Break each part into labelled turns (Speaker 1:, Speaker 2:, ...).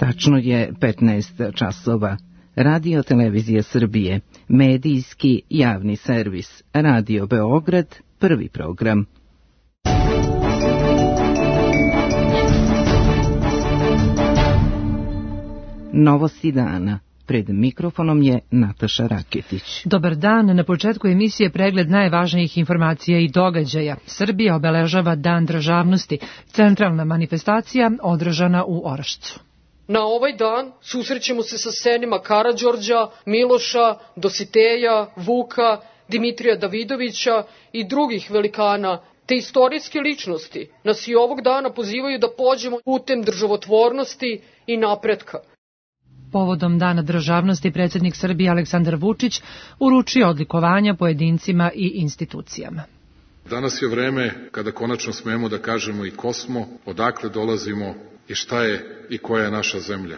Speaker 1: Tačno je 15 časova. Radio Televizija Srbije, medijski javni servis, Radio Beograd, prvi program. Novosti dana. Pred mikrofonom je Nataša Raketić.
Speaker 2: Dobar dan, na početku emisije pregled najvažnijih informacija i događaja. Srbija obeležava Dan državnosti, centralna manifestacija održana u Orašcu.
Speaker 3: Na ovaj dan susrećemo se sa senima Karađorđa, Miloša, Dositeja, Vuka, Dimitrija Davidovića i drugih velikana, te istorijske ličnosti nas i ovog dana pozivaju da pođemo putem državotvornosti i napretka.
Speaker 2: Povodom Dana državnosti predsjednik Srbije Aleksandar Vučić uručio odlikovanja pojedincima i institucijama.
Speaker 4: Danas je vreme kada konačno smemo da kažemo i ko smo, odakle dolazimo i šta je i koja je naša zemlja.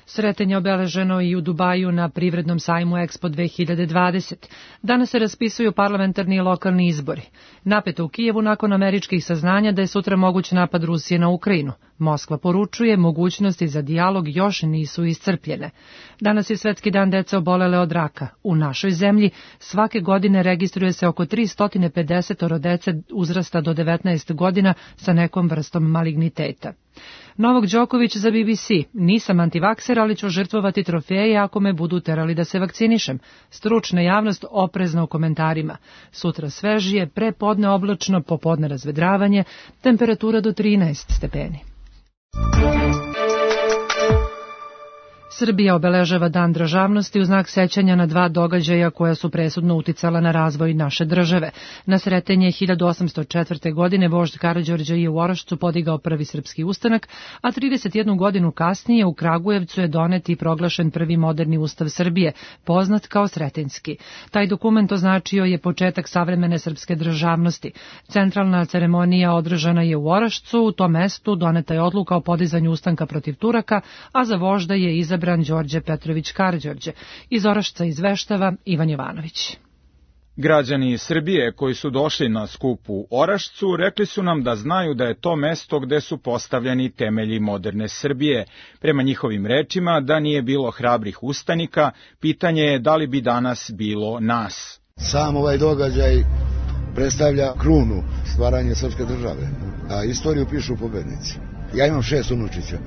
Speaker 2: Sretenje obeleženo i u Dubaju na privrednom sajmu Expo 2020. Danas se raspisuju parlamentarni i lokalni izbori. Napeto u Kijevu nakon američkih saznanja da je sutra moguć napad Rusije na Ukrajinu. Moskva poručuje, mogućnosti za dijalog još nisu iscrpljene. Danas je Svetski dan dece obolele od raka. U našoj zemlji svake godine registruje se oko 350 dece uzrasta do 19 godina sa nekom vrstom maligniteta. Novak Đoković za BBC. Nisam antivakser, ali ću žrtvovati trofeje ako me budu terali da se vakcinišem. Stručna javnost oprezna u komentarima. Sutra svežije, prepodne oblačno, popodne razvedravanje, temperatura do 13 stepeni. Srbija obeležava Dan državnosti u znak sećanja na dva događaja koja su presudno uticala na razvoj naše države. Na Sretenje 1804. godine vožd Karađorđa je u Orašcu podigao prvi srpski ustanak, a 31 godinu kasnije u Kragujevcu je donet i proglašen prvi moderni ustav Srbije, poznat kao Sretenjski. Taj dokument označio je početak savremene srpske državnosti. Centralna ceremonija održana je u Orašcu, u tom mestu doneta je odluka o podizanju ustanka protiv Turaka, a za vožda je izabran Đorđe Petrović Karađorđe. Iz Orašca izveštava Ivan Jovanović.
Speaker 5: Građani Srbije koji su došli na skup u Orašcu rekli su nam da znaju da je to mesto gde su postavljeni temelji moderne Srbije. Prema njihovim rečima, da nije bilo hrabrih ustanika, pitanje je da li bi danas bilo nas.
Speaker 6: Sam ovaj događaj predstavlja krunu stvaranja srpske države, a istoriju pišu pobednici. Ja imam 6 unučića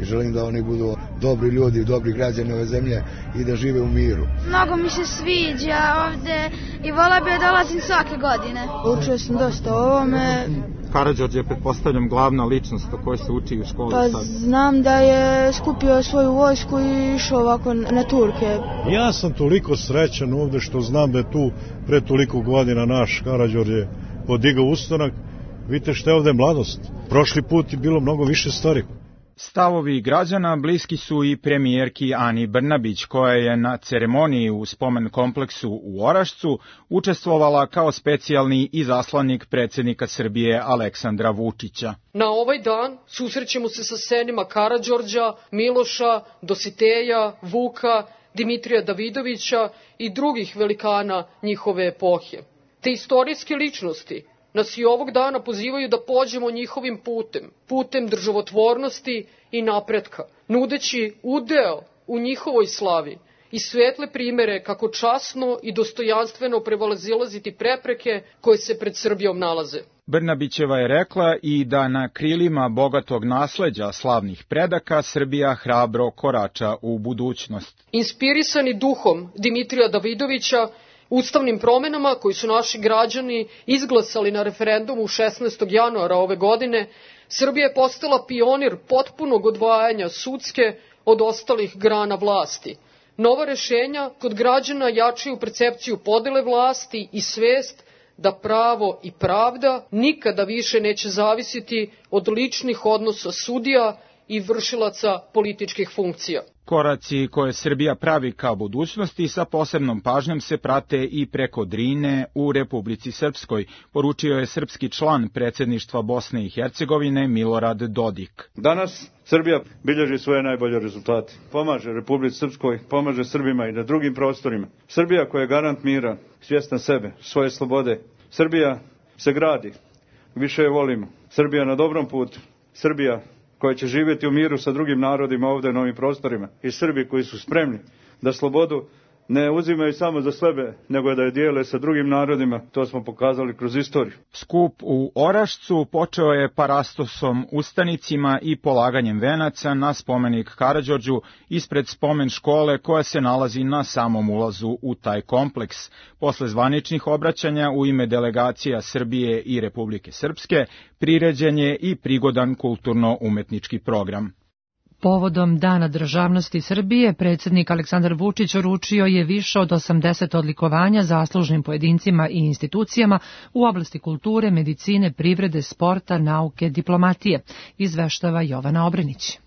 Speaker 6: i želim da oni budu dobri ljudi, dobri građani ove zemlje i da žive u miru.
Speaker 7: Mnogo mi se sviđa ovde i vola bi da dolazim svake godine.
Speaker 8: Učio sam dosta o ovome.
Speaker 9: Karađorđe je, pretpostavljam, glavna ličnost o kojoj se uči u školi.
Speaker 8: Pa znam da je skupio svoju vojsku i išao ovako na Turke.
Speaker 10: Ja sam toliko srećan ovde što znam da je tu pre toliko godina naš Karađorđe podigao ustanak. Vidite što je ovde mladost. Prošli put je bilo mnogo više stvari.
Speaker 5: Stavovi građana bliski su i premijerki Ani Brnabić, koja je na ceremoniji u spomen kompleksu u Orašcu učestvovala kao specijalni izaslanik predsjednika Srbije Aleksandra Vučića.
Speaker 3: Na ovaj dan susrećemo se sa senima Karađorđa, Miloša, Dositeja, Vuka, Dimitrija Davidovića i drugih velikana njihove epohe. Te istorijske ličnosti nas i ovog dana pozivaju da pođemo njihovim putem državotvornosti i napretka, nudeći udeo u njihovoj slavi i svetle primere kako časno i dostojanstveno prevalazilaziti prepreke koje se pred Srbijom nalaze.
Speaker 5: Brnabićeva je rekla i da na krilima bogatog nasleđa slavnih predaka Srbija hrabro korača u budućnost.
Speaker 3: Inspirisani duhom Dimitrija Davidovića, ustavnim promenama koji su naši građani izglasali na referendumu 16. januara ove godine, Srbija je postala pionir potpunog odvajanja sudske od ostalih grana vlasti. Nova rešenja kod građana jačaju percepciju podele vlasti i svest da pravo i pravda nikada više neće zavisiti od ličnih odnosa sudija i vršilaca političkih funkcija.
Speaker 5: Koraci koje Srbija pravi ka budućnosti sa posebnom pažnjom se prate i preko Drine u Republici Srpskoj, poručio je srpski član predsjedništva Bosne i Hercegovine Milorad Dodik.
Speaker 11: Danas Srbija bilježi svoje najbolje rezultate. Pomaže Republici Srpskoj, pomaže Srbima i na drugim prostorima. Srbija koja je garant mira, svjesna sebe, svoje slobode. Srbija se gradi, više je volimo. Srbija na dobrom putu. Srbija koja će živjeti u miru sa drugim narodima ovdje na ovim prostorima i Srbi koji su spremni da slobodu ne uzimaju samo za sebe, nego da je dijele sa drugim narodima, to smo pokazali kroz istoriju.
Speaker 5: Skup u Orašcu počeo je parastosom ustanicima i polaganjem venaca na spomenik Karađorđu ispred spomen škole koja se nalazi na samom ulazu u taj kompleks. Posle zvaničnih obraćanja u ime delegacija Srbije i Republike Srpske priređen je i prigodan kulturno-umetnički program.
Speaker 2: Povodom Dana državnosti Srbije, predsjednik Aleksandar Vučić uručio je više od 80 odlikovanja zaslužnim pojedincima i institucijama u oblasti kulture, medicine, privrede, sporta, nauke, diplomatije, izveštava Jovana Obrenić.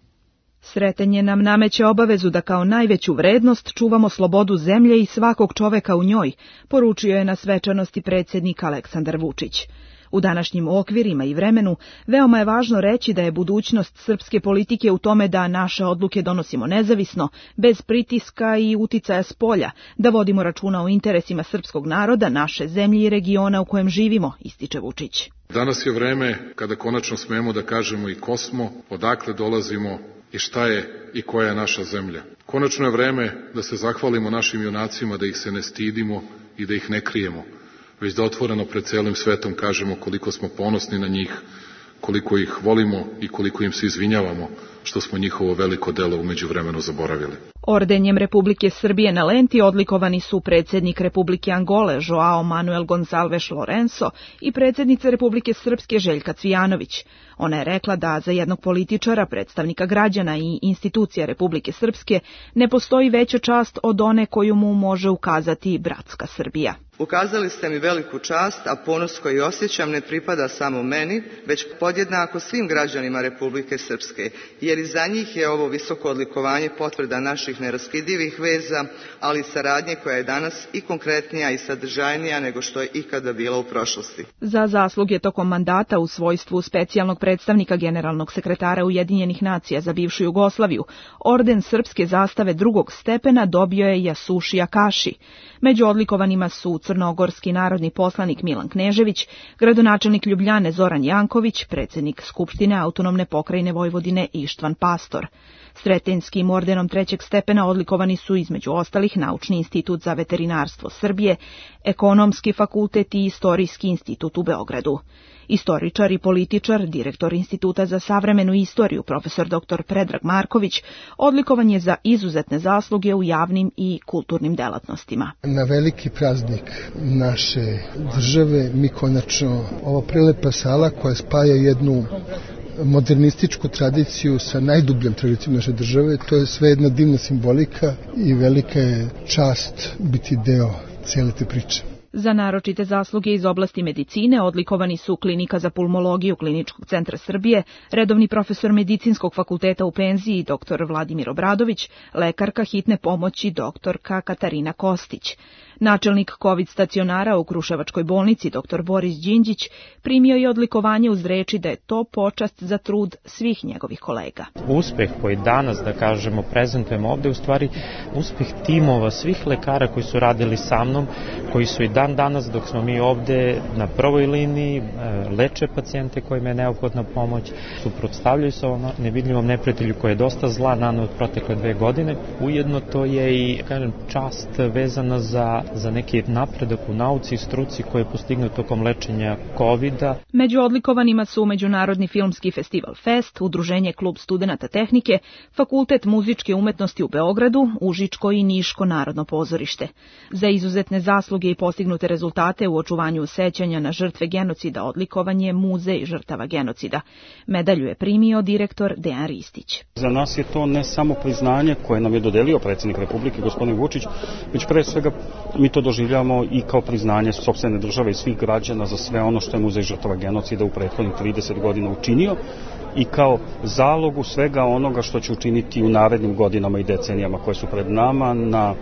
Speaker 12: Sretanje nam nameće obavezu da kao najveću vrednost čuvamo slobodu zemlje i svakog čoveka u njoj, poručio je na svečanosti predsjednik Aleksandar Vučić. U današnjim okvirima i vremenu veoma je važno reći da je budućnost srpske politike u tome da naše odluke donosimo nezavisno, bez pritiska i uticaja spolja, da vodimo računa o interesima srpskog naroda, naše zemlje i regiona u kojem živimo, ističe Vučić.
Speaker 4: Danas je vreme kada konačno smemo da kažemo i ko smo, odakle dolazimo i šta je i koja je naša zemlja. Konačno je vreme da se zahvalimo našim junacima, da ih se ne stidimo i da ih ne krijemo, već da otvoreno pred celim svetom kažemo koliko smo ponosni na njih, koliko ih volimo i koliko im se izvinjavamo što smo njihovo veliko delo u međuvremenu zaboravili.
Speaker 12: Ordenjem Republike Srbije na lenti odlikovani su predsjednik Republike Angole Joao Manuel Gonçalves Lourenço i predsjednica Republike Srpske Željka Cvijanović. Ona je rekla da za jednog političara, predstavnika građana i institucija Republike Srpske ne postoji veća čast od one koju mu može ukazati bratska Srbija.
Speaker 13: Ukazali ste mi veliku čast, a ponos koji osjećam ne pripada samo meni, već podjednako svim građanima Republike Srpske, jer i za njih je ovo visoko odlikovanje potvrda naših neraskidivih veza, ali i saradnje koja je danas i konkretnija i sadržajnija nego što je ikada bila u prošlosti.
Speaker 12: Za zasluge tokom mandata u svojstvu specijalnog predstavnika generalnog sekretara Ujedinjenih nacija za bivšu Jugoslaviju, orden srpske zastave drugog stepena dobio je Jasušija Kaši. Među odlikovanima su crnogorski narodni poslanik Milan Knežević, gradonačelnik Ljubljane Zoran Janković, predsjednik Skupštine autonomne pokrajine Vojvodine Ištvan Pastor. Sretenskim ordenom trećeg stepena odlikovani su između ostalih Naučni institut za veterinarstvo Srbije, Ekonomski fakultet i Istorijski institut u Beogradu. Istoričar i političar, direktor Instituta za savremenu istoriju, profesor dr. Predrag Marković, odlikovan je za izuzetne zasluge u javnim i kulturnim delatnostima.
Speaker 14: Na veliki praznik naše države mi konačno, ova prelepa sala koja spaja jednu modernističku tradiciju sa najdubljom tradicijom naše države, to je sve jedna divna simbolika i velika je čast biti deo cijele te priče.
Speaker 12: Za naročite zasluge iz oblasti medicine odlikovani su Klinika za pulmologiju Kliničkog centra Srbije, redovni profesor Medicinskog fakulteta u penziji dr. Vladimir Obradović, lekarka hitne pomoći doktorka Katarina Kostić. Načelnik COVID stacionara u Kruševačkoj bolnici dr. Boris Đinđić primio je odlikovanje uz reči da je to počast za trud svih njegovih kolega.
Speaker 15: Uspeh koji danas, da kažemo, prezentujemo ovde, u stvari uspeh timova svih lekara koji su radili sa mnom, koji su i dan danas dok smo mi ovde na prvoj liniji, leče pacijente kojima je neophodna pomoć, suprotstavljaju se ovom nevidljivom neprijatelju koji je dosta zla naneo od protekle 2 godine. Ujedno to je i, kažem, čast vezana za neki napredak u nauci i struci koji je postignut tokom lečenja COVID-a.
Speaker 12: Među odlikovanima su Međunarodni filmski festival Fest, Udruženje Klub studenata tehnike, Fakultet muzičke umetnosti u Beogradu, Užičko i Niško narodno pozorište. Za izuzetne zasluge i postignute rezultate u očuvanju sećanja na žrtve genocida odlikovan je Muzej žrtava genocida. Medalju je primio direktor Dejan Ristić.
Speaker 16: Za nas je to ne samo priznanje koje nam je dodelio predsjednik Republike gospodin Vučić, već pre svega mi to doživljavamo i kao priznanje sopstvene države i svih građana za sve ono što je Muzej žrtava genocida u prethodnih 30 godina učinio i kao zalogu svega onoga što će učiniti u narednim godinama i decenijama koje su pred nama na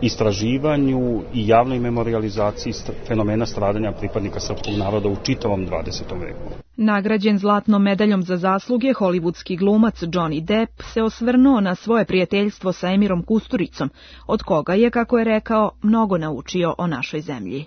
Speaker 16: istraživanju i javnoj memorializaciji fenomena stradanja pripadnika srpskog naroda u čitavom 20. veku.
Speaker 12: Nagrađen zlatnom medaljom za zasluge, hollywoodski glumac Johnny Depp se osvrnuo na svoje prijateljstvo sa Emirom Kusturicom, od koga je, kako je rekao, mnogo naučio o našoj zemlji.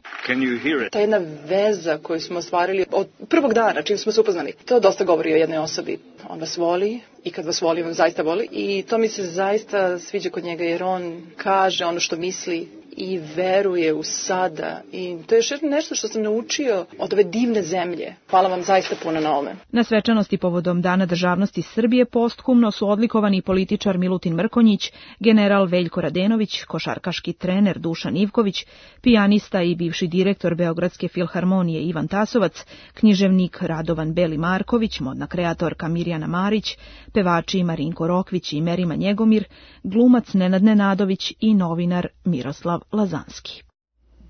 Speaker 17: Ta jedna veza koju smo ostvarili od prvog dana čim smo se upoznali, to dosta govori o jednoj osobi. On vas voli i kad vas voli, on zaista voli i to mi se zaista sviđa kod njega jer on kaže ono što misli i veruje u sada i to je još nešto što sam naučio od ove divne zemlje. Hvala vam zaista puno na ome.
Speaker 12: Na svečanosti povodom Dana državnosti Srbije posthumno su odlikovani političar Milutin Mrkonjić, general Veljko Radenović, košarkaški trener Dušan Ivković, pijanista i bivši direktor Beogradske filharmonije Ivan Tasovac, književnik Radovan Beli Marković, modna kreatorka Mirjana Marić, pevači Marinko Rokvić i Merima Njegomir, glumac Nenad Nenadović i novinar Miroslav Lazanski.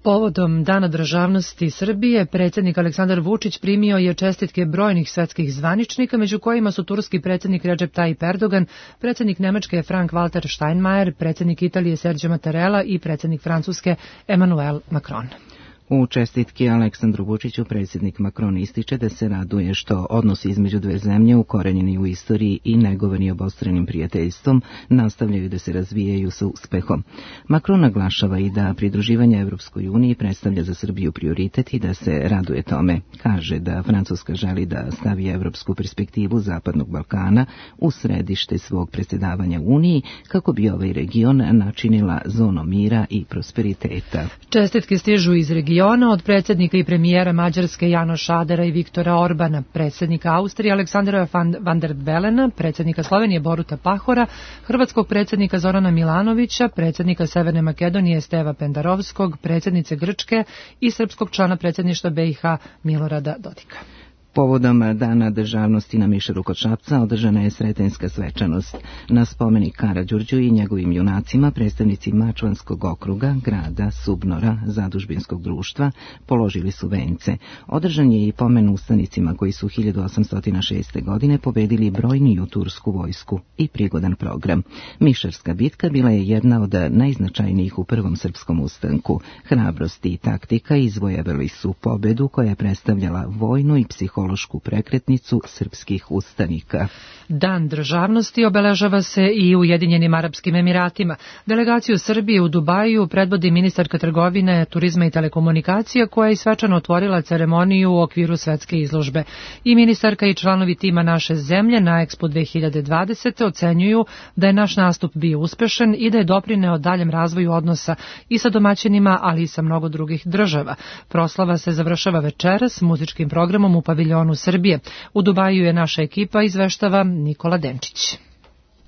Speaker 2: Povodom Dana državnosti Srbije, predsjednik Aleksandar Vučić primio je čestitke brojnih svetskih zvaničnika, među kojima su turski predsjednik Recep Tayyip Erdogan, predsjednik Nemačke Frank-Walter Steinmeier, predsjednik Italije Sergio Mattarella i predsjednik Francuske Emmanuel Macron.
Speaker 1: U čestitki Aleksandru Vučiću predsjednik Macron ističe da se raduje što odnosi između dve zemlje ukorenjeni u istoriji i negovani obostranim prijateljstvom nastavljaju da se razvijaju sa uspehom. Macron naglašava i da pridruživanje Evropskoj uniji predstavlja za Srbiju prioritet i da se raduje tome. Kaže da Francuska želi da stavi evropsku perspektivu Zapadnog Balkana u središte svog predsjedavanja Uniji kako bi ovaj region načinila zonom mira i prosperiteta.
Speaker 2: Čestitke stižu iz regiona od predsjednika i premijera Mađarske Janoša Adera i Viktora Orbana, predsjednika Austrije Aleksandra van der Belena, predsjednika Slovenije Boruta Pahora, hrvatskog predsjednika Zorana Milanovića, predsjednika Severne Makedonije Steva Pendarovskog, predsjednice Grčke i srpskog člana predsjedništva BiH Milorada Dodika.
Speaker 1: Povodom Dana državnosti na Mišeru kod Šapca održana je sretenjska svečanost. Na spomenik Karađorđu i njegovim junacima predstavnici Mačvanskog okruga, grada, Subnora, Zadužbinskog društva položili su vence. Održan je i pomen ustanicima koji su 1806. godine pobedili brojniju tursku vojsku i prigodan program. Mišarska bitka bila je jedna od najznačajnijih u prvom srpskom ustanku. Hrabrost i taktika izvojevali su pobedu koja je predstavljala vojnu i psihološku prekretnicu srpskih ustanika.
Speaker 2: Dan državnosti obeležava se i u Ujedinjenim Arapskim Emiratima. Delegaciju Srbije u Dubaju predvodi ministarka trgovine, turizma i telekomunikacija koja je svečano otvorila ceremoniju u okviru svetske izložbe. I ministarka i članovi tima naše zemlje na Expo 2020 ocenjuju da je naš nastup bio uspešan i da je doprineo daljem razvoju odnosa i sa domaćinima, ali i sa mnogo drugih država. Proslava se završava večeras muzičkim programom u paviljonu Srbije. U Dubaju je naša ekipa, izveštava Nikola Denčić.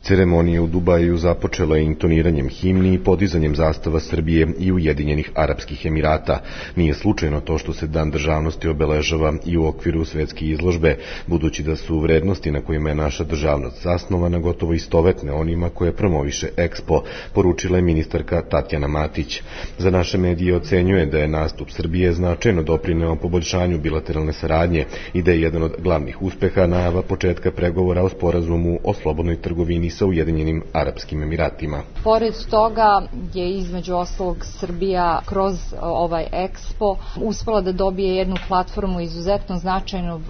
Speaker 18: Ceremonija u Dubaju započela je intoniranjem himni i podizanjem zastava Srbije i Ujedinjenih Arapskih Emirata. Nije slučajno to što se Dan državnosti obeležava i u okviru svetske izložbe, budući da su vrednosti na kojima je naša državnost zasnovana gotovo istovetne onima koje promoviše Expo, poručila je ministarka Tatjana Matić. Za naše medije ocenjuje da je nastup Srbije značajno doprineo poboljšanju bilateralne saradnje i da je jedan od glavnih uspeha najava početka pregovora o sporazumu o slobodnoj trgovini sa Ujedinjenim Arapskim Emiratima.
Speaker 19: Pored toga je između ostalog Srbija kroz ovaj Expo uspela da dobije jednu platformu izuzetno značajnu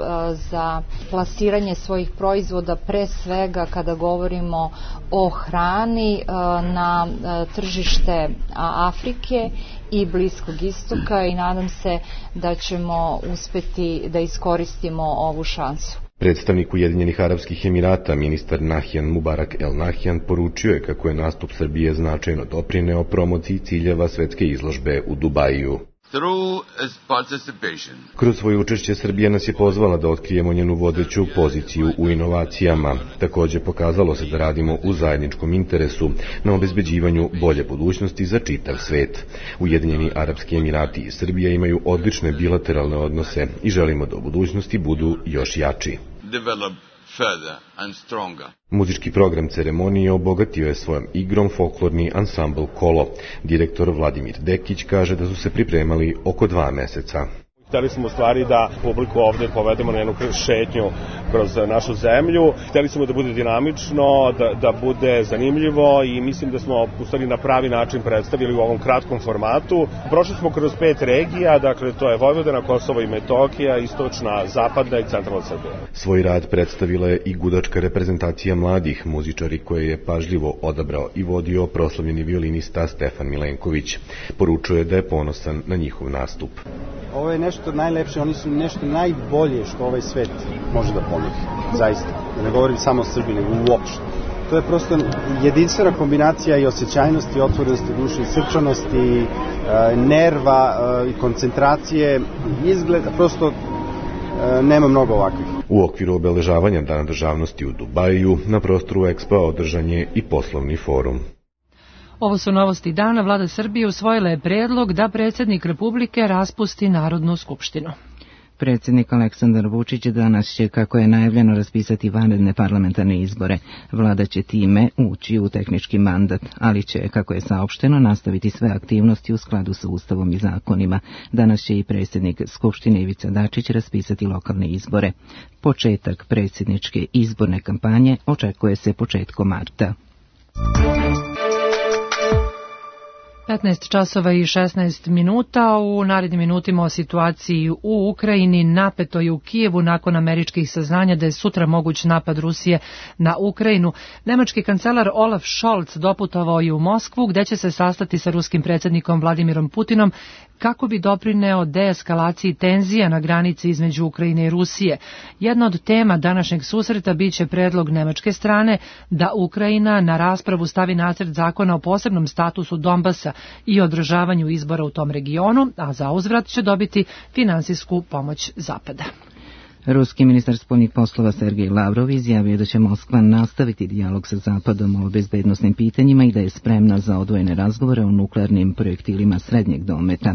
Speaker 19: za plasiranje svojih proizvoda, pre svega kada govorimo o hrani na tržište Afrike i Bliskog istoka i nadam se da ćemo uspeti da iskoristimo ovu šansu.
Speaker 18: Predstavnik Ujedinjenih Arapskih Emirata, ministar Nahjan Mubarak El Nahjan, poručio je kako je nastup Srbije značajno doprineo promociji ciljeva svetske izložbe u Dubaju. Kroz svoje učešće Srbija nas je pozvala da otkrijemo njenu vodeću poziciju u inovacijama. Također pokazalo se da radimo u zajedničkom interesu na obezbeđivanju bolje budućnosti za čitav svet. Ujedinjeni Arapski Emirati i Srbija imaju odlične bilateralne odnose i želimo da u budućnosti budu još jači. Muzički program ceremonije obogatio je svojom igrom folklorni ansambl Kolo. Direktor Vladimir Dekić kaže da su se pripremali oko 2 meseca.
Speaker 20: Hteli smo u stvari da publiku ovde povedemo na jednu šetnju kroz našu zemlju. Hteli smo da bude dinamično, da bude zanimljivo i mislim da smo u stvari na pravi način predstavili u ovom kratkom formatu. Prošli smo kroz 5 regija, dakle to je Vojvodina, Kosovo i Metohija, istočna, zapadna i centralna Srbija.
Speaker 18: Svoj rad predstavila je i gudačka reprezentacija mladih muzičari koje je pažljivo odabrao i vodio proslavljeni violinista Stefan Milenković. Poručuje da je ponosan na njihov nastup.
Speaker 21: Ovo je nešto najlepše, oni su nešto najbolje što ovaj svet može da ponudi. Zaista. Ne govorim samo o Srbiji, nego uopšte. To je prosto jedinstvena kombinacija i osjećajnosti, otvorenosti duše i srčanosti, nerva i koncentracije. Izgleda, prosto nema mnogo ovakvih.
Speaker 18: U okviru obeležavanja Dana državnosti u Dubaju na prostoru Expo održan je i poslovni forum.
Speaker 2: Ovo su novosti dana. Vlada Srbije usvojila je predlog da predsjednik Republike raspusti Narodnu skupštinu.
Speaker 1: Predsjednik Aleksandar Vučić danas će, kako je najavljeno, raspisati vanredne parlamentarne izbore. Vlada će time ući u tehnički mandat, ali će, kako je saopšteno, nastaviti sve aktivnosti u skladu sa Ustavom i zakonima. Danas će i predsjednik Skupštine Ivica Dačić raspisati lokalne izbore. Početak predsjedničke izborne kampanje očekuje se početkom marta.
Speaker 2: 15 časova i 16 minuta. U narednim minutima o situaciji u Ukrajini. Napeto je u Kijevu nakon američkih saznanja da je sutra moguć napad Rusije na Ukrajinu. Nemački kancelar Olaf Scholz doputovao je u Moskvu gde će se sastati sa ruskim predsjednikom Vladimirom Putinom kako bi doprineo deeskalaciji tenzija na granici između Ukrajine i Rusije. Jedna od tema današnjeg susreta biće predlog nemačke strane da Ukrajina na raspravu stavi nacrt zakona o posebnom statusu Donbasa i održavanju izbora u tom regionu, a za uzvrat će dobiti finansijsku pomoć Zapada.
Speaker 1: Ruski ministar spoljnih poslova Sergej Lavrov izjavio da će Moskva nastaviti dijalog sa Zapadom o bezbednosnim pitanjima i da je spremna za odvojene razgovore o nuklearnim projektilima srednjeg dometa.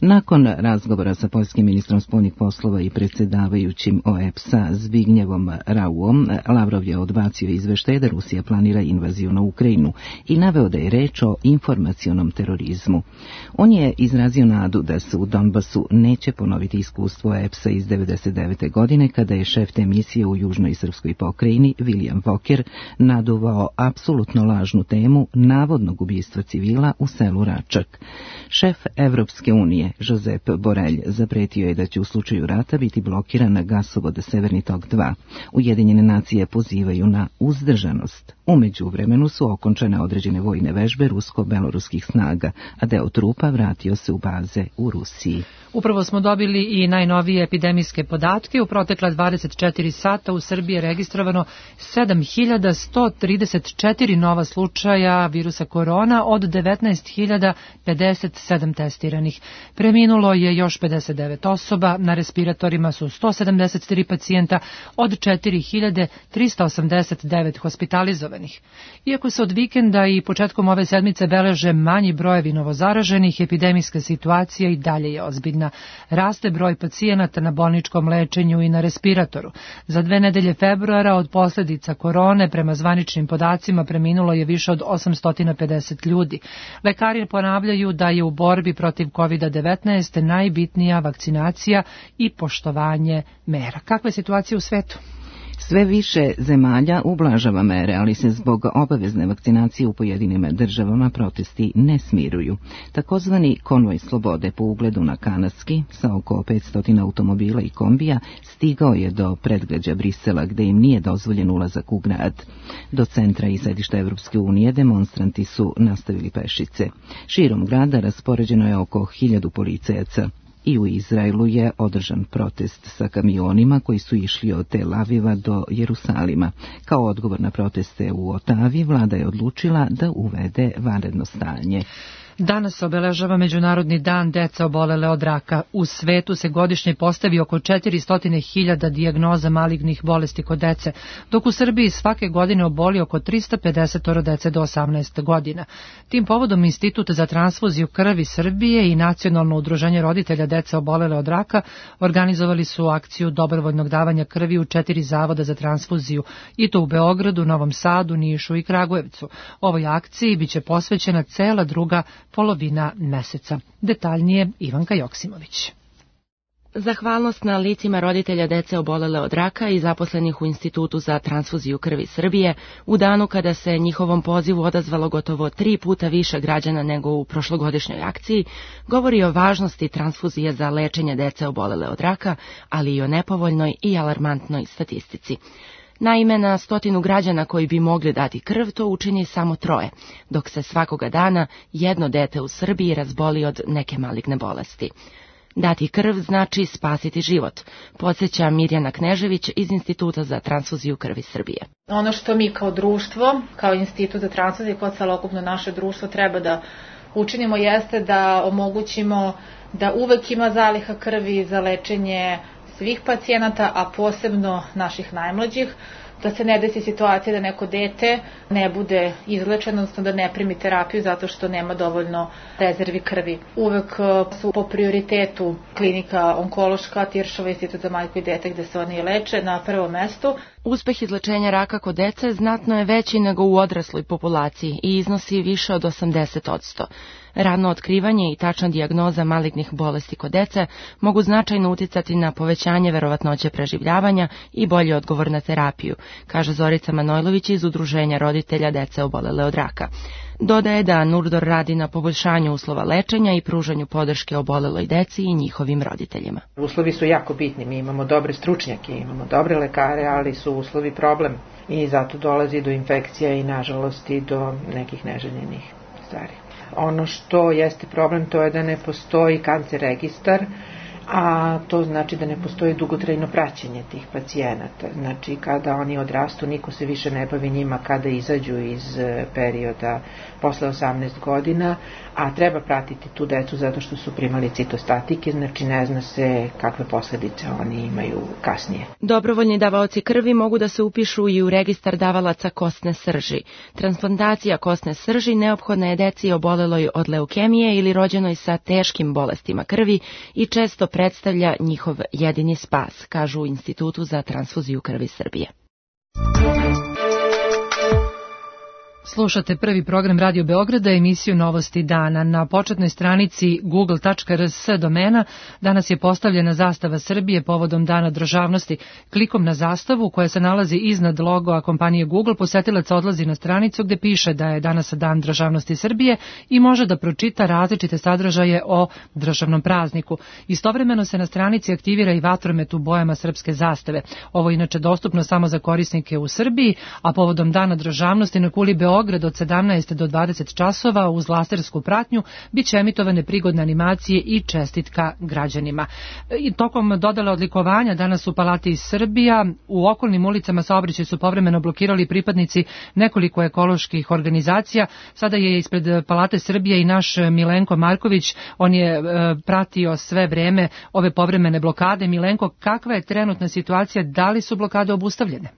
Speaker 1: Nakon razgovora sa poljskim ministrom spoljnih poslova i predsjedavajućim OEPS-a Zbignjevom Rauom, Lavrov je odbacio izveštaj da Rusija planira invaziju na Ukrajinu i naveo da je reč o informacionom terorizmu. On je izrazio nadu da se u Donbasu neće ponoviti iskustvo OEPS-a iz 1999. godine kada je šef te misije u južnoj srpskoj pokrajini William Walker naduvao apsolutno lažnu temu navodnog ubistva civila u selu Račak. Šef Evropske unije Josep Borelj zapretio je da će u slučaju rata biti blokiran gasovod Severni tok 2. Ujedinjene nacije pozivaju na uzdržanost. U međuvremenu su okončane određene vojne vežbe rusko-beloruskih snaga, a deo trupa vratio se u baze u Rusiji.
Speaker 2: Upravo smo dobili i najnovije epidemijske podatke. U protekla 24 sata u Srbiji je registrovano 7134 nova slučaja virusa korona od 19.057 testiranih. Preminulo je još 59 osoba, na respiratorima su 173 pacijenta od 4.389 hospitalizovanih. Iako se od vikenda i početkom ove sedmice beleže manji brojevi novozaraženih, epidemijska situacija i dalje je ozbiljna. Raste broj pacijenata na bolničkom lečenju i na respiratoru. Za 2 nedelje februara od posljedica korone, prema zvaničnim podacima, preminulo je više od 850 ljudi. Lekari ponavljaju da je u borbi protiv COVID-19 najbitnija vakcinacija i poštovanje mera. Kakva je situacija u svetu?
Speaker 1: Sve više zemalja ublažava mere, ali se zbog obavezne vakcinacije u pojedinim državama protesti ne smiruju. Takozvani konvoj slobode po ugledu na kanadski, sa oko 500 automobila i kombija, stigao je do predgrađa Brisela, gde im nije dozvoljen ulazak u grad. Do centra i sedišta Evropske unije demonstranti su nastavili pešice. Širom grada raspoređeno je oko 1000 policajaca. I u Izraelu je održan protest sa kamionima koji su išli od Tel Aviva do Jerusalima. Kao odgovor na proteste u Otavi, vlada je odlučila da uvede vanredno stanje.
Speaker 2: Danas obeležava Međunarodni dan dece obolele od raka. U svetu se godišnje postavi oko 400.000 dijagnoza malignih bolesti kod dece, dok u Srbiji svake godine oboli oko 350 dece do 18 godina. Tim povodom Institut za transfuziju krvi Srbije i Nacionalno udruženje roditelja dece obolele od raka organizovali su akciju dobrovoljnog davanja krvi u 4 zavoda za transfuziju, i to u Beogradu, Novom Sadu, Nišu i Kragujevcu. Ovoj akciji biće posvećena cela druga polovina meseca. Detaljnije Ivanka Joksimović.
Speaker 6: Zahvalnost na licima roditelja dece obolele od raka i zaposlenih u Institutu za transfuziju krvi Srbije u danu kada se njihovom pozivu odazvalo gotovo 3 puta više građana nego u prošlogodišnjoj akciji, govori o važnosti transfuzije za lečenje dece obolele od raka, ali i o nepovoljnoj i alarmantnoj statistici. Naime, na 100 građana koji bi mogli dati krv to učini samo 3, dok se svakoga dana jedno dete u Srbiji razboli od neke maligne bolesti. Dati krv znači spasiti život, podsjeća Mirjana Knežević iz Instituta za transfuziju krvi Srbije.
Speaker 22: Ono što mi kao društvo, kao Institut za transfuziju, kao celokupno naše društvo treba da učinimo jeste da omogućimo da uvek ima zaliha krvi za lečenje svih pacijenata, a posebno naših najmlađih, da se ne desi situacija da neko dete ne bude izlečeno, odnosno da ne primi terapiju zato što nema dovoljno rezervi krvi. Uvek su po prioritetu klinika onkološka, Tiršova, Institut za majku i dete gde se oni leče na prvom mestu.
Speaker 6: Uspeh izlečenja raka kod dece znatno je veći nego u odrasloj populaciji i iznosi više od 80%. Rano otkrivanje i tačna dijagnoza malignih bolesti kod dece mogu značajno uticati na povećanje verovatnoće preživljavanja i bolji odgovor na terapiju, kaže Zorica Manojlović iz Udruženja roditelja dece obolele od raka. Dodaje da Nurdor radi na poboljšanju uslova lečenja i pružanju podrške oboleloj deci i njihovim roditeljima.
Speaker 23: Uslovi su jako bitni, mi imamo dobre stručnjake, imamo dobre lekare, ali su uslovi problem i zato dolazi do infekcija i nažalost i do nekih neželjenih stvari. Ono što jeste problem to je da ne postoji kancer registar, a to znači da ne postoji dugotrajno praćenje tih pacijenata. Znači kada oni odrastu niko se više ne bavi njima kada izađu iz perioda posle 18 godina, a treba pratiti tu decu zato što su primali citostatike, znači ne zna se kakve posledice oni imaju kasnije.
Speaker 6: Dobrovoljni davaoci krvi mogu da se upišu i u registar davalaca kostne srži. Transplantacija kostne srži neophodna je deci oboleloj od leukemije ili rođenoj sa teškim bolestima krvi i često predstavlja njihov jedini spas, kažu u Institutu za transfuziju krvi Srbije.
Speaker 2: Slušate prvi program Radio Beograda, emisiju Novosti dana. Na početnoj stranici google.rs domena danas je postavljena zastava Srbije povodom Dana državnosti. Klikom na zastavu koja se nalazi iznad logoa kompanije Google, posetilac odlazi na stranicu gde piše da je danas Dan državnosti Srbije i može da pročita različite sadržaje o državnom prazniku. Istovremeno se na stranici aktivira i vatromet u bojama srpske zastave. Ovo je inače dostupno samo za korisnike u Srbiji, a povodom Dana državnosti na kuli Beograd od 17 do 20 časova uz lasersku pratnju biće emitovane prigodne animacije i čestitka građanima. I tokom dodele odlikovanja danas u Palati Srbija u okolnim ulicama saobraćaj su povremeno blokirali pripadnici nekoliko ekoloških organizacija. Sada je ispred Palate Srbije i naš Milenko Marković, on je pratio sve vreme ove povremene blokade. Milenko, kakva je trenutna situacija, da li su blokade obustavljene?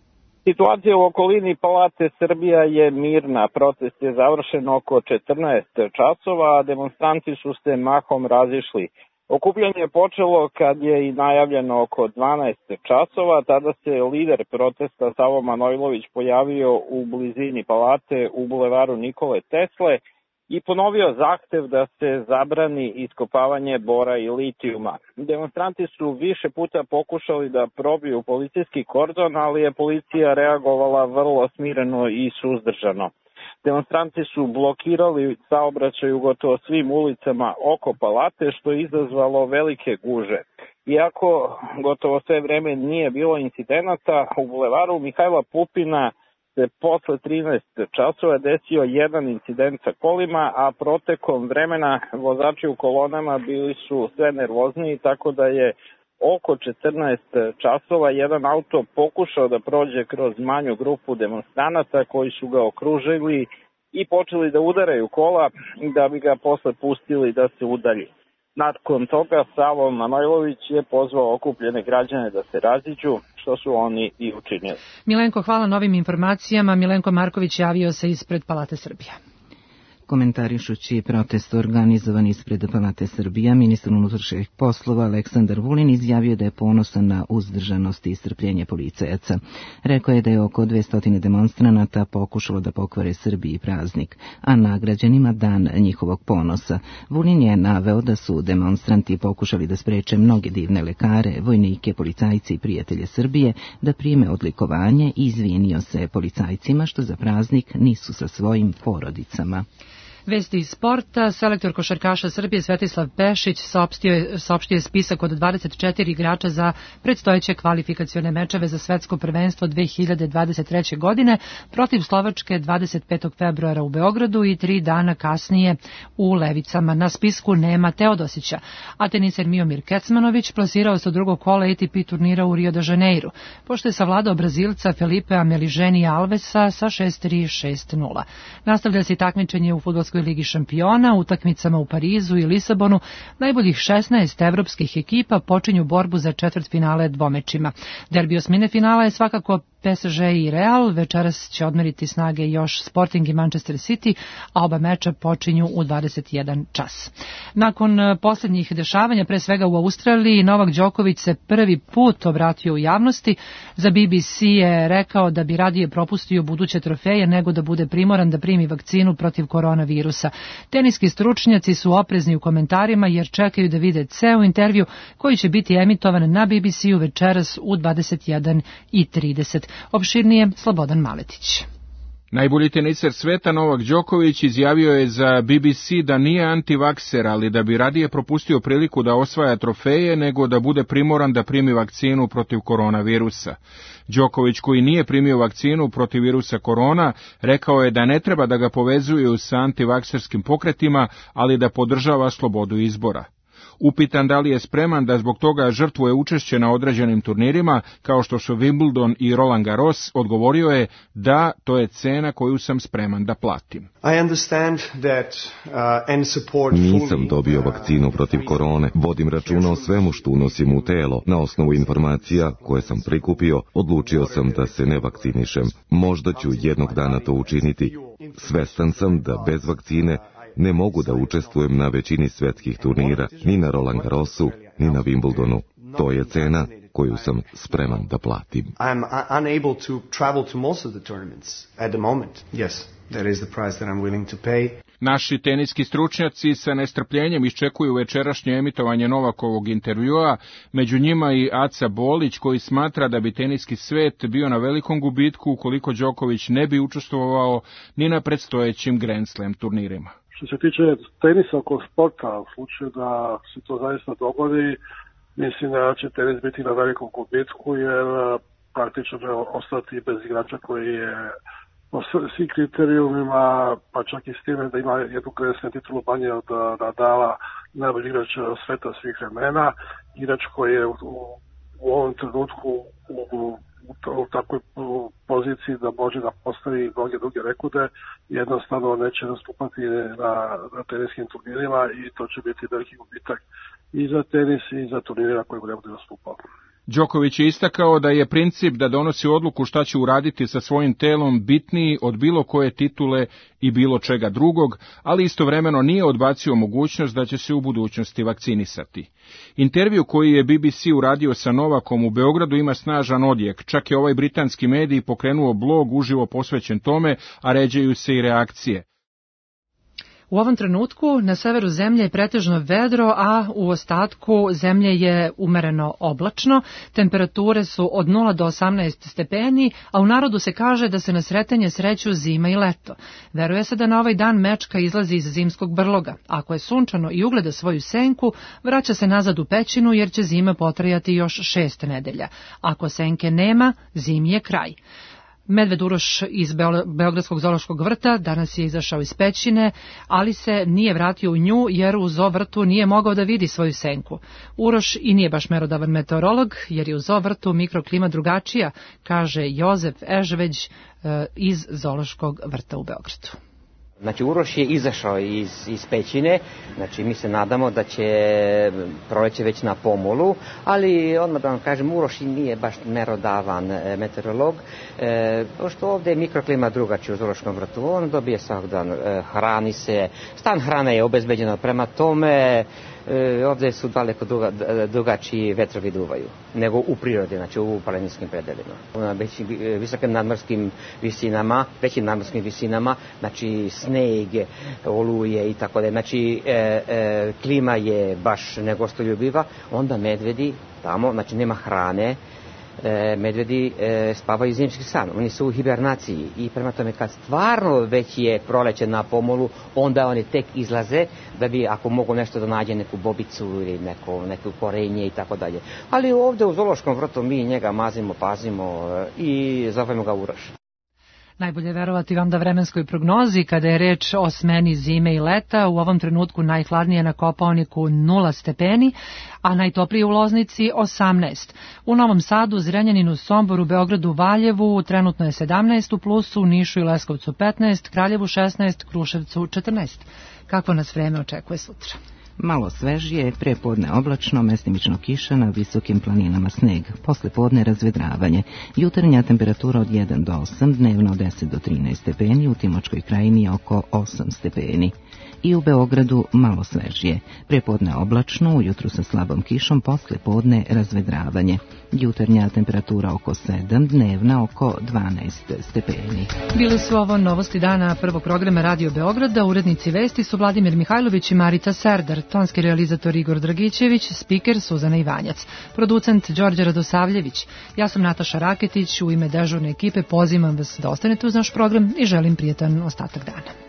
Speaker 24: Situacija u okolini Palate Srbija je mirna. Protest je završen oko 14 časova, a demonstranti su se mahom razišli. Okupljanje je počelo kad je i najavljeno oko 12 časova. Tada se lider protesta Savo Manojlović pojavio u blizini Palate u bulevaru Nikole Tesle i ponovio zahtev da se zabrani iskopavanje bora i litijuma. Demonstranti su više puta pokušali da probiju policijski kordon, ali je policija reagovala vrlo smireno i suzdržano. Demonstranti su blokirali saobraćaj u gotovo svim ulicama oko Palate, što je izazvalo velike gužve. Iako gotovo sve vreme nije bilo incidenata, u bulevaru Mihajla Pupina se posle 13 časova desio jedan incident sa kolima, a protekom vremena vozači u kolonama bili su sve nervozniji, tako da je oko 14 časova jedan auto pokušao da prođe kroz manju grupu demonstranata koji su ga okružili i počeli da udaraju kola da bi ga posle pustili da se udalji. Nakon toga Savo Manojlović je pozvao okupljene građane da se raziđu, što su oni i učinili.
Speaker 2: Milenko, hvala na ovim informacijama. Milenko Marković javio se ispred Palate Srbije.
Speaker 1: Komentarišući protest organizovan ispred Palate Srbija, ministar unutrašnjih poslova Aleksandar Vulin izjavio da je ponosan na uzdržanost i strpljenje policajaca. Rekao je da je oko 200 demonstranata pokušalo da pokvare Srbiji praznik, a nagrađenima dan njihovog ponosa. Vulin je naveo da su demonstranti pokušali da spreče mnoge divne lekare, vojnike, policajci i prijatelje Srbije da prime odlikovanje i izvinio se policajcima što za praznik nisu sa svojim porodicama.
Speaker 2: Vesti iz sporta. Selektor košarkaša Srbije Svetislav Pešić saopštio je spisak od 24 igrača za predstojeće kvalifikacione mečeve za svetsko prvenstvo 2023. godine protiv Slovačke 25. februara u Beogradu i 3 dana kasnije u Levicama. Na spisku nema Teodosića, a teniser Miomir Kecmanović plasirao se u drugog kola ATP turnira u Rio de Janeiru, pošto je savladao Brazilca Felipea Meliženija Alvesa sa 6-3, 6-0. Nastavlja se takmičenje u fudbalskoj Ligi šampiona, utakmicama u Parizu i Lisabonu. Najboljih 16 evropskih ekipa počinju borbu za četvrtfinale dvomečima. Derbi osmine finala je svakako PSG i Real, večeras će odmeriti snage još Sporting i Manchester City, a oba meča počinju u 21 čas. Nakon posljednjih dešavanja, pre svega u Australiji, Novak Đoković se prvi put obratio u javnosti. Za BBC je rekao da bi radije propustio buduće trofeje nego da bude primoran da primi vakcinu protiv koronavirusa. Teniski stručnjaci su oprezni u komentarima jer čekaju da vide ceo intervju koji će biti emitovan na BBC-u večeras u 21:30. Opširnije Slobodan Maletić.
Speaker 5: Najbolji teniser sveta Novak Đoković izjavio je za BBC da nije antivakser, ali da bi radije propustio priliku da osvaja trofeje nego da bude primoran da primi vakcinu protiv koronavirusa. Đoković, koji nije primio vakcinu protiv virusa korona, rekao je da ne treba da ga povezuju sa antivakserskim pokretima, ali da podržava slobodu izbora. Upitan da li je spreman da zbog toga žrtvuje učešće na određenim turnirima, kao što su Wimbledon i Roland Garros, odgovorio je da to je cena koju sam spreman da platim.
Speaker 7: Nisam dobio vakcinu protiv korone, vodim računa o svemu što unosim u telo. Na osnovu informacija koje sam prikupio, odlučio sam da se ne vakcinišem. Možda ću jednog dana to učiniti. Svestan sam da bez vakcine ne mogu da učestvujem na većini svetskih turnira, ni na Roland Garrosu, ni na Wimbledonu. To je cena koju sam spreman da platim.
Speaker 5: Naši teniski stručnjaci sa nestrpljenjem iščekuju večerašnje emitovanje Novakovog intervjua, među njima i Aca Bolić, koji smatra da bi teniski svet bio na velikom gubitku ukoliko Đoković ne bi učestvovao ni na predstojećim Grand Slam turnirima.
Speaker 8: Što se tiče tenisa oko sporta, u slučaju da se to zaista dogodi, mislim da će tenis biti na velikom gubitku, jer praktično će ostati bez igrača koji je po svim kriterijumima, pa čak i s time da ima jednu Grand Slam titulu manje od Nadala, najbolji igrač sveta svih vremena, igrač koji je u ovom trenutku u takvoj poziciji da može da postavi mnoge druge rekorde, jednostavno neće nastupati na teniskim turnirima i to će biti veliki gubitak i za tenis i za turnirima koji ne bude nastupao.
Speaker 5: Đoković je istakao da je princip da donosi odluku šta će uraditi sa svojim telom bitniji od bilo koje titule i bilo čega drugog, ali istovremeno nije odbacio mogućnost da će se u budućnosti vakcinisati. Intervju koji je BBC uradio sa Novakom u Beogradu ima snažan odjek, čak je ovaj britanski medij pokrenuo blog uživo posvećen tome, a ređaju se i reakcije.
Speaker 2: U ovom trenutku na severu zemlje je pretežno vedro, a u ostatku zemlje je umereno oblačno. Temperature su od 0 do 18 stepeni, a u narodu se kaže da se na sretanje sreću zima i leto. Veruje se da na ovaj dan mečka izlazi iz zimskog brloga. Ako je sunčano i ugleda svoju senku, vraća se nazad u pećinu jer će zima potrajati još 6 nedelja. Ako senke nema, zimi je kraj. Medved Uroš iz Beogradskog zoološkog vrta danas je izašao iz pećine, ali se nije vratio u nju jer u zoo vrtu nije mogao da vidi svoju senku. Uroš i nije baš merodavan meteorolog jer je u zoo vrtu mikroklima drugačija, kaže Jozef Ežveć iz zoološkog vrta u Beogradu.
Speaker 3: Znači Uroš je izašao iz pećine, znači mi se nadamo da će proleće već na pomolu, ali odmah da vam kažem, Uroš nije baš merodavan meteorolog, pošto ovde je mikroklima drugačija u Zološkom vrtu, on dobije svakog dan, hrani se, stan hrane je obezbeđeno, prema tome ovde su daleko drugačiji vetrovi duvaju nego u prirodi, znači u planinskim predelima. Na visokim nadmorskim visinama, znači sneg, oluje i tako da. Znači klima je baš negostoljubiva, onda medvedi tamo, znači nema hrane, medvedi spavaju zimski san, oni su u hibernaciji i prema tome kad stvarno već je proleće na pomolu, onda oni tek izlaze da bi ako mogu nešto da nađe neku bobicu ili neko korenje i tako dalje. Ali ovde u Zološkom vrtu mi njega mazimo, pazimo i zovemo ga Uroš.
Speaker 2: Najbolje verovati vam da vremenskoj prognozi, kada je reč o smeni zime i leta, u ovom trenutku najhladnije na Kopaoniku 0 stepeni, a najtoplije u Loznici 18. U Novom Sadu, Zrenjaninu, Somboru, Beogradu, Valjevu trenutno je 17 u plusu, u Nišu i Leskovcu 15, Kraljevu 16, Kruševcu 14. Kako nas vreme očekuje sutra?
Speaker 1: Malo svežije, prepodne oblačno, mestimično kiša, na visokim planinama sneg. Posle podne razvedravanje. Jutarnja temperatura od 1 do 8, dnevno od 10 do 13 stepeni, u Timočkoj krajini oko 8 stepeni. I u Beogradu malo svežije. Prepodne oblačno, ujutru sa slabom kišom, posle podne razvedravanje. Jutarnja temperatura oko 7, dnevna oko 12 stepeni.
Speaker 2: Bili su ovo novosti dana prvog programa Radio Beograda. Urednici vesti su Vladimir Mihajlović i Marica Serdar, tonski realizator Igor Dragićević, spiker Suzana Ivanjac, producent Đorđe Radosavljević. Ja sam Nataša Raketić, u ime dežurne ekipe pozivam vas da ostanete uz naš program i želim prijetan ostatak dana.